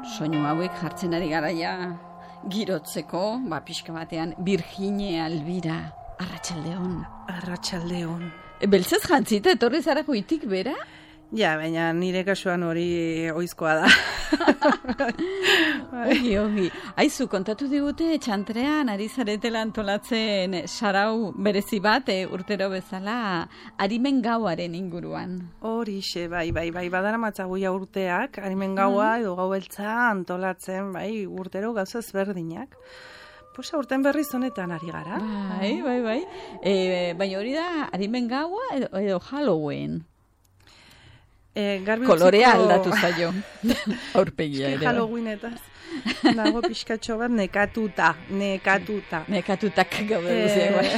Soinu hauek jartzen ari garaia girotzeko, pixka batean, Virginia Elvira, Arratsaldeon. Arratsaldeon. Beltzez jantzita, etorri zara goitik bera? Ja, baina nire kasuan hori oizkoa da. Ogi. Aizu, kontatu digute, txantrean, ari zaretela antolatzen sarau berezi bat, urtero bezala, Arimen Gauaren inguruan. Horixe, bai, badara matzaguia urteak, Arimen Gaua edo Gau Beltza antolatzen, bai, urtero gauza ezberdinak. Pues aurten berriz honetan ari gara. Bai. Baina hori da, Arimen Gaua edo Halloween? Kolorea aldatu zaio. Aurpegia ere. Halloweenetaz. Dago pixkatxo bat nekatuta. Nekatutak gaude guziak.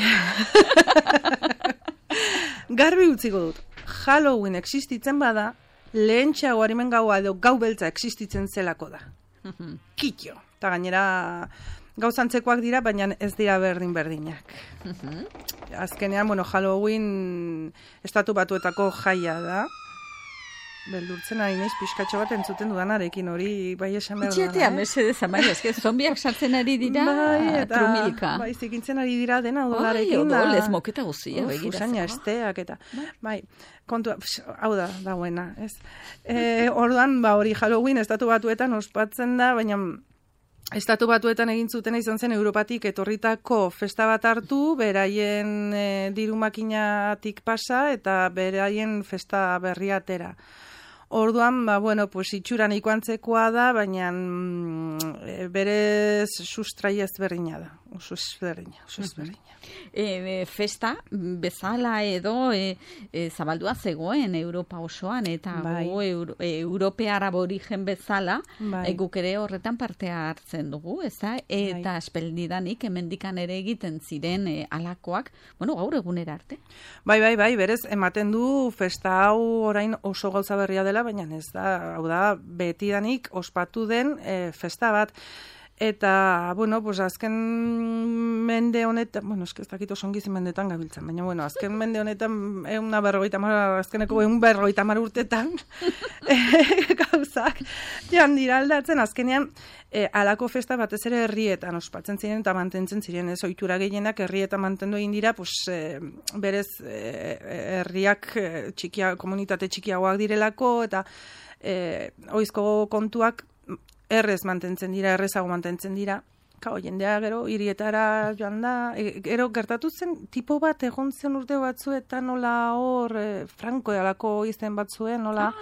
Garbi utziko dut. Halloween existitzen bada, lehentxeago Arimen Gaua edo Gau Beltza existitzen zelako da. Kitxo. Eta gainera gauzantzekoak dira, baina ez dira berdinak. Azkenean, Halloween estatu batuetako jaia da. Beldurtzen ari naiz pixkatxo bat entzuten dudanarekin, hori bai esan behar da. Itxetea, mesedez, amaia, eske zombiak sartzen ari dira, trumilka. Bai, zikintzen ari dira dena odolarekin. Bai, odol, ez moketa guzia. Usaina esteak eta, bai, kontua, hau da, dagoena, ez. Orduan, hori Halloween estatu batuetan ospatzen da, baina Estatu batuetan egin zutena izan zen Europatik etorritako festa bat hartu, beraien dirumakinatik pasa eta beraien festa berria atera. Orduan, itxuran ikoantzekoa da, baina berez sustraia ezberdina da. Oso ezberdina. Festa bezala edo zabaldua zegoen Europa osoan, eta europear aborigen bezala guk ere horretan parte hartzen dugu, ezta? Eta espeldidanik hemendikan ere egiten ziren alakoak, gaur egunera arte. Bai, berez, ematen du festa hau orain oso gauza berria dela, baina ez da, hau da, betidanik ospatu den festa bat. Eta, azken mende honetan, ez dakit oso ongiz mendetan gabiltzen, baina, azken mende honetan, azkeneko 150 urtetan, gauzak, joan dira aldatzen, azkenean, alako festa batez ere herrietan ospatzen ziren eta mantentzen ziren, ez ohitura gehienak herrietan mantendu egin dira, berez herriak komunitate txikiagoak direlako, eta ohizko kontuak errezago mantentzen dira. Jendea gero hirietara joan da, gero gertatu zen tipo bat egon zen urte batzuetan nola hor Franco alako izen batzuen, nola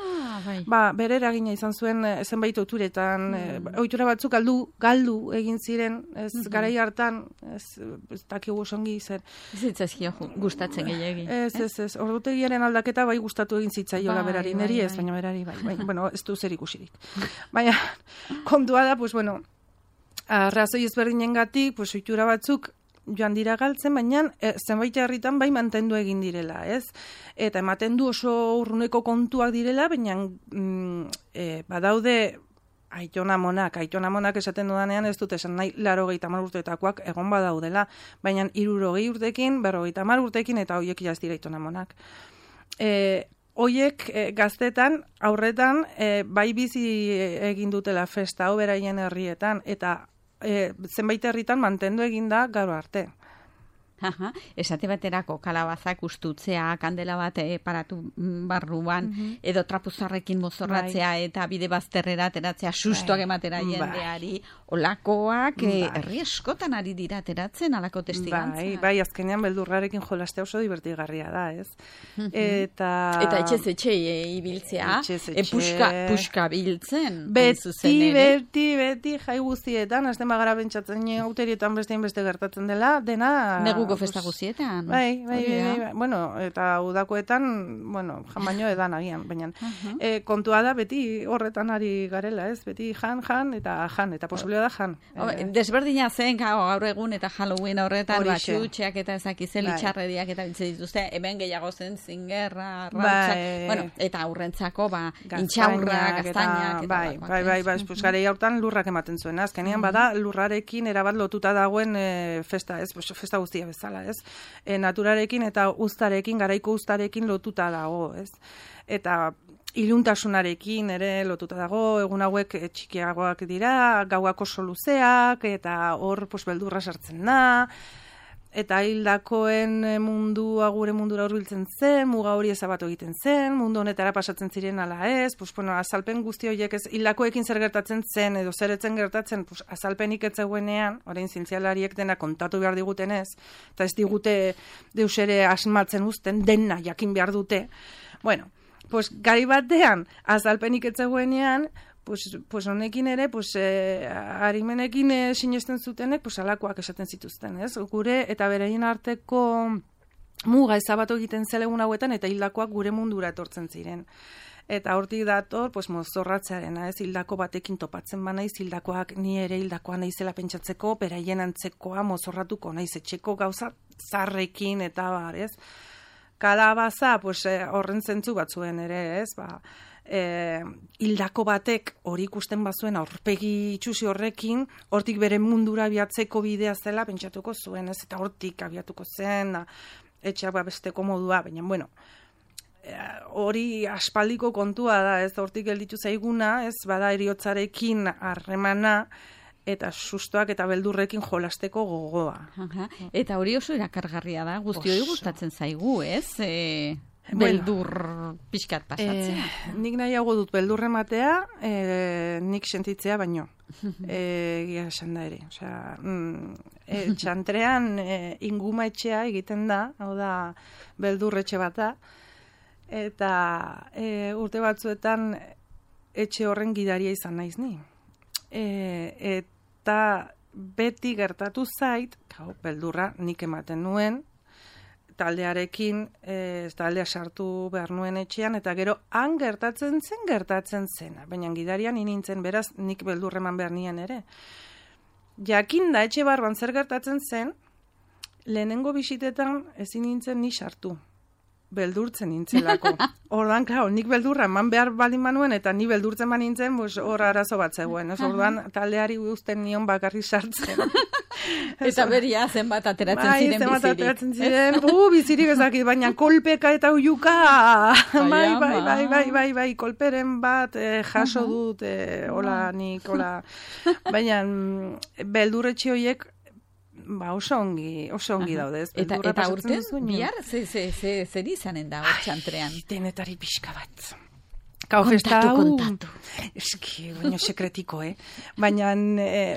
bere eragina izan zuen zenbait ohituretan, ohitura batzuk galdu egin ziren, ez garai hartan, ez dakigu songi zer. Ez zitzazkio gustatzen gehiegi. Ez, ordutegiaren aldaketa bai gustatu egin zitzaiola berari, neri ez, baina berari bai, ez du zer ikusirik. Baina, kontua da, arrazoi ezberdinengatik, ohitura batzuk joan dira galtzen, baina zenbait herritan bai mantendu egin direla, ez? Eta ematen du oso urruneko kontuak direla, baina badaude aitona monak esaten dudanean ez dut esan nahi 80 urteetakoak egon badaudela, baina 60 urtekin, 50 urtekin eta hoiek jaz dira aitona monak. Hoiek gaztetan, aurretan, bai bizi egin dutela festa hau beraien herrietan, eta zenbait herritan mantendu egin da gaur arte. Esate baterako kalabazak ustutzea, kandela bat paratu barruan, edo trapuzarrekin mozorratzea eta bide bazterrera ateratzea sustoak ematera jendeari, olakoak herri eskotan ari dira ateratzen alako testigantza. Bai, azkenean beldurrarekin jolastea oso divertigarria da, ez? Eta etxez etxe ibiltzea, puska biltzen. Beti jai guztietan, azten bagara bentsatzen auterietan beste gertatzen dela, dena neguko festa guztietan. Bai. Eta udakoetan, jan baino edan agian, baina kontua da beti horretan ari garela, ez? Beti jan, eta posiblea da jan. Desberdina zen gaur egun eta Halloween horretan, txutxeak eta ezakizel itxarrediak eta biltzen dituzte, hemen gehiago zen zingerra, rautza, eta aurrentzako, intxaurra, gaztainak. Bai, garei hortan lurrak ematen zuen, azkenean bada lurrarekin erabat lotuta dagoen festa, ez? Festa guztia bezala, ez? Naturarekin eta uztarekin, garaiko uztarekin lotuta dago, ez? Eta iluntasunarekin ere lotuta dago, egun hauek txikiagoak dira, gauak oso luzeak, eta hor beldurra sartzen da, eta hildakoen mundua gure mundura hurbiltzen zen, muga hori ezabatu egiten zen, mundu honetara pasatzen ziren ala ez, azalpen guzti horiek ez, hildakoekin zer gertatzen zen, edo zer etzen gertatzen, azalpenik ez zegoenean, orain zientzialariek dena kontatu behar diguten ez, eta ez digute deus ere asmatzen uzten, dena jakin behar dute. Bueno, gari batean, azalpenik ez zegoenean, honekin ere, harimenekin sinesten zutenek, alakoak esaten zituzten, ez? Gure eta bereien arteko muga ezabatu egiten zelegun hauetan, eta hildakoak gure mundura etortzen ziren. Eta hortik dator, mozorratzearena, ez? Hildako batekin topatzen banaiz, hildakoak ni ere hildakoa naizela pentsatzeko, beraien antzekoa mozorratuko naiz etxeko gauza zarrekin eta bar, ez? Kalabaza, horren zentzu batzuen ere, ez? Hildako batek hori ikusten bazuen aurpegi itxusi horrekin, hortik bere mundura abiatzeko bidea zela pentsatuko zuen, ez? Eta hortik abiatuko zen, etxeak besteko modua, baina, bueno, hori aspaldiko kontua da, ez? Hortik gelditu zaiguna, ez? Bada eriotzarekin harremana, eta sustoak eta beldurrekin jolasteko gogoa. Eta hori oso erakargarria da, guztioi gustatzen zaigu, ez? Beldur pixkat pasatzea. Nik nahiago dut beldurre matea, nik sentitzea baino. Egia esan da ere. Txantrean inguma etxea egiten da, hau da beldurretxe bat da, eta urte batzuetan etxe horren gidaria izan naiz ni. Eta beti gertatu zait, beldurra nik ematen nuen, taldearekin, taldea sartu behar nuen etxean, eta gero han gertatzen zena. Baina gidarian nintzen, beraz, nik beldurreman behar nien ere. Jakin da, etxe barban zer gertatzen zen, lehenengo bisitetan ezin nintzen ni sartu. Beldurtzen nintzelako. Ordan, nik beldurra eman behar balin manuen, eta ni beldurtzen man nintzen, hor arazo bat zegoen. Ordan, taldeari uzten nion bakarri sartzen. Eta beria zenbat ateratzen ziren bizirik. Zenbat ateratzen ziren, bizirik ezakit, baina kolpeka eta uiuka. Bai, kolperen bat jaso dut, hola, nik, hola. Baina, beldurretxe horiek, oso ongi daude. Eta urten, bihar, zer izanen da hor txantrean? Denetari pixka bat. Kontatu. Eski, baina sekretiko, Baina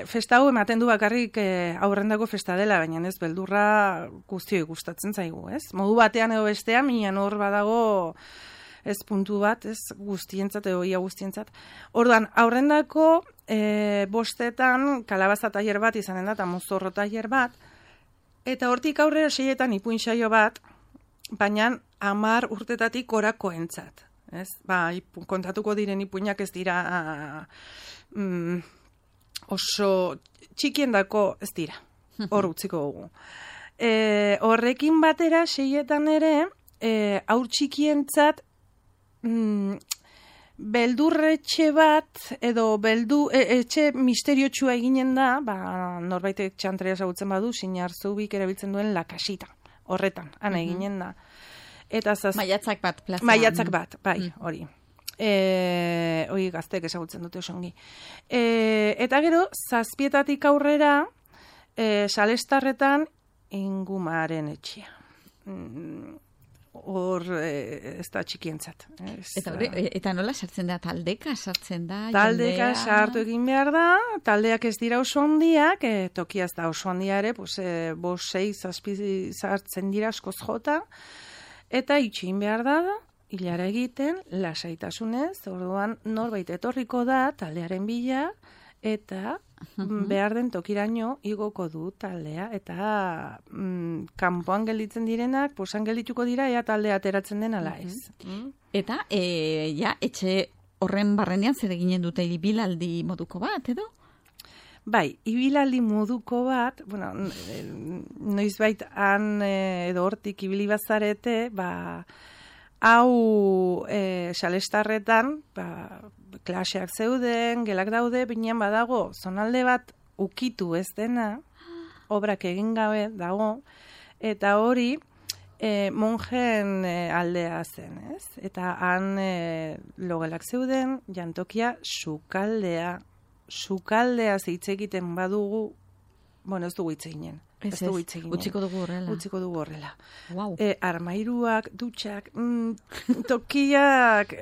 festa hau ematen du bakarrik aurrendako festa dela, baina ez beldurra guztioi gustatzen zaigu, ez? Modu batean edo bestean, minan hor badago ez puntu bat, ez guztientzat edo ia guztientzat. Orduan, aurrendako bostetan kalabaza tailer bat izanen da, eta mozorro tailer bat, eta hortik aurrera 6etan ipuin saio bat, baina 10 urtetatik orakoentzat. Ez? Kontatuko diren ipuinak ez dira oso txikiendako ez dira. Hor utziko dugu. Horrekin batera 6etan ere haur txikientzat beldurretxe bat edo etxe misteriotsua eginen da, norbaitek txantrea ezagutzen badu, Sinar Zubik erabiltzen duen lakasita. Horretan, ana eginen da. Maiatzak bat, plaza. Maiatzak bat, bai, hori. Hori gaztek ezagutzen dute osongi. Eta gero, 7etatik aurrera, Salestarretan ingumaren etxea. Hor, ez da txikientzat. Eta nola sartzen da? Taldeka sartzen da? Taldeka sartu egin behar da, taldeak ez dira oso handiak, tokia ez da oso handia ere, 5-6 sartzen dira askoz jota, eta itxin behar da, hilara egiten, lasaitasunez, orduan norbait etorriko da, taldearen bila, eta behar den tokiraino igoko du taldea, eta kanpoan gelditzen direnak, posan geldituko dira, ea taldea ateratzen den ala ez. Eta, etxe horren barrenean zer eginen dute ibilaldi moduko bat, edo? Bai, ibilaldi moduko bat, noizbait han edo hortik ibili bazarete, hau Salestarretan, klaseak zeuden, gelak daude, binean badago, zonalde bat ukitu ez dena, obrak egin gabe dago, eta hori monjen aldea zen, ez? Eta han logelak zeuden, jantokia sukaldea hitz egiten badugu, bueno, ez dugu hitz eginen. Ez dugu hitz eginen. Utziko dugu horrela. Wow. Armairuak, dutxak, tokiak,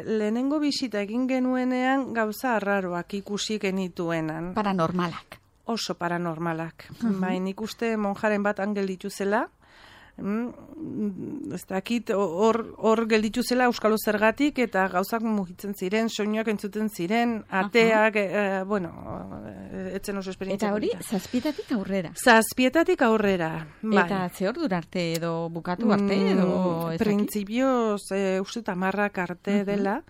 lehenengo bisita egin genuenean gauza arraroak ikusi genituenan. Paranormalak. Oso paranormalak. Baina ikuste monjaren bat angel dituzela, ez dakit hor gelditu zela Euskalo zergatik eta gauzak mugitzen ziren, soinuak entzuten ziren, ateak, etzen oso esperientzia. Eta hori, zazpietatik aurrera? Zazpietatik aurrera, bai. Eta ze hor arte edo bukatu arte edo? Printzipioz, uste 10 arte dela,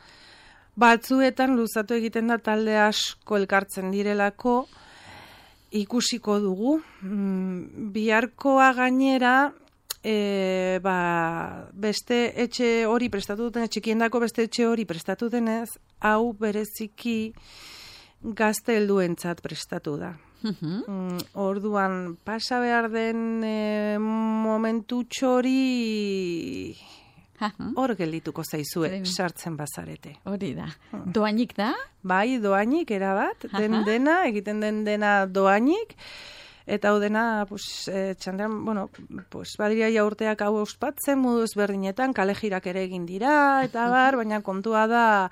batzuetan luzatu egiten da talde asko elkartzen direlako, ikusiko dugu, biharkoa gainera, beste etxe hori prestatu duten, txikiendako beste etxe hori prestatu denez, hau bereziki gazte helduentzat prestatu da. Orduan, pasa behar den momentu txori hor geldituko zaizue, sartzen bazarete. Hori da. Doainik da? Bai, doainik, erabat, dena, egiten dena doainik, eta hau dena, txandean, badiria ja urteak hau ospatzen, modu ezberdinetan, kalejirak ere egin dira, eta baina kontua da,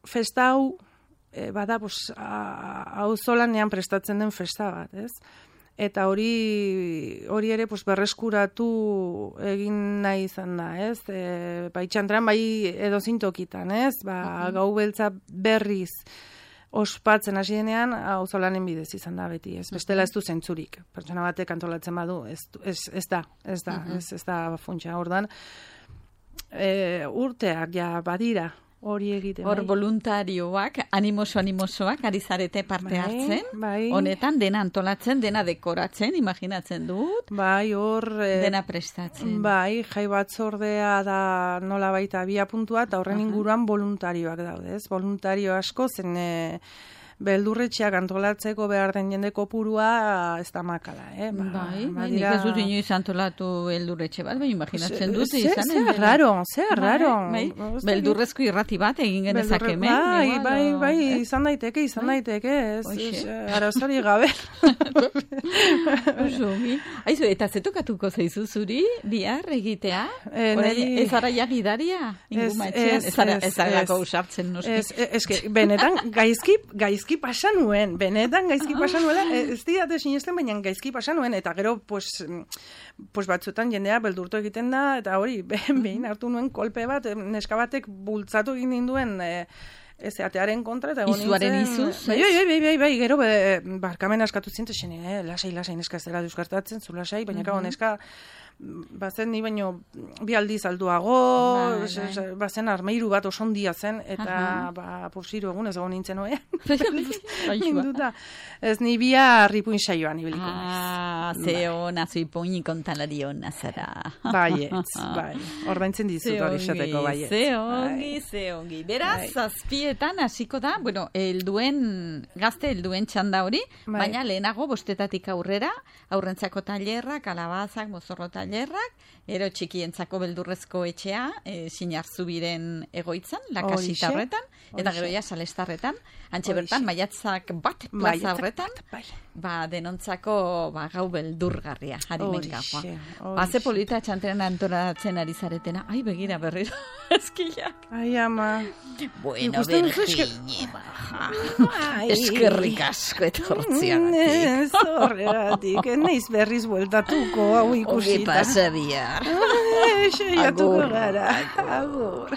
festa hau, bada, hau zolanean prestatzen den festa bat, ez? Eta hori ere berreskuratu egin nahi izan da, ez? Bai txandran, bai edozein tokitan, ez? Gau beltza berriz ospatzen hasi denean, auzolanen bidez izan da beti, ez? Bestela ez du zentzurik. Pertsona batek antolatzen badu, ez da funtsa. Ordan, urteak ja badira hori egiten. Hor voluntarioak, animosoak, ari zarete parte hartzen. Bai. Honetan, dena antolatzen, dena dekoratzen, imaginatzen dut. Bai, hor... dena prestatzen. Bai, jai batzordea da nola baita abia puntua, eta horren inguruan voluntarioak daude, ez? Voluntario asko, zen beldurretxeak antolatzeko behar den jende kopurua ez da makala, Bai, nik ez dut inoiz antolatu beldurretxe bat, imaginatzen dut izan. Ze raro. Beldurrezko irrati bat egin genezak hemen. Bai, izan daiteke, arazari gabe. Aizu, eta zetokatuko zaizu zuri, bihar egitea? Ez ara jagidaria? Ez ara usartzen noski? Ez benetan, gaizki pasa nuen, ez didate sinesten, baina gaizki pasa nuen, eta gero, batzuetan jendea beldurtu egiten da, eta hori, behin hartu nuen kolpe bat, neska batek bultzatu egin ninduen, atearen kontra, eta izuaren izuz? Bai, gero, barkamen askatu zintzen, lasai, neska ez dela duzkartatzen, zu lasai, baina gau neska, bazen ni baino bi aldiz alduago, bazen armairu bat osondia zen, eta hiru egun ez egon nintzen oean. Ez ni bia ripuin saioan ibiliko naiz. Zeona, zuipuin kontalari hona zara. Bai, ordaintzen dizut hori esateko bai. Zeongi. Beraz, zazpietan hasiko da, gazte helduen txanda hori, baina lehenago 5 aurrera, aurrentzako tailerrak, kalabazak, mozorro tailerrak, ero txikientzako beldurrezko etxea, Sinarzubiren egoitzan, lakasita horretan, eta gero ja salestarretan, antxe bertan, maiatzak bat plaza horretan, denontzako gau beldurgarria, harimen gaua. Haze polita txantrean antolatzen ari zaretena, ai begira berriro, eskilak. Ai ama. Bueno, Virginie, baja. Eskerrik asko etortziagatik. Zorregatik, neiz berriz bueltatuko, hau ikusita. Ogi pasadia. Seiatuko gara. Agur.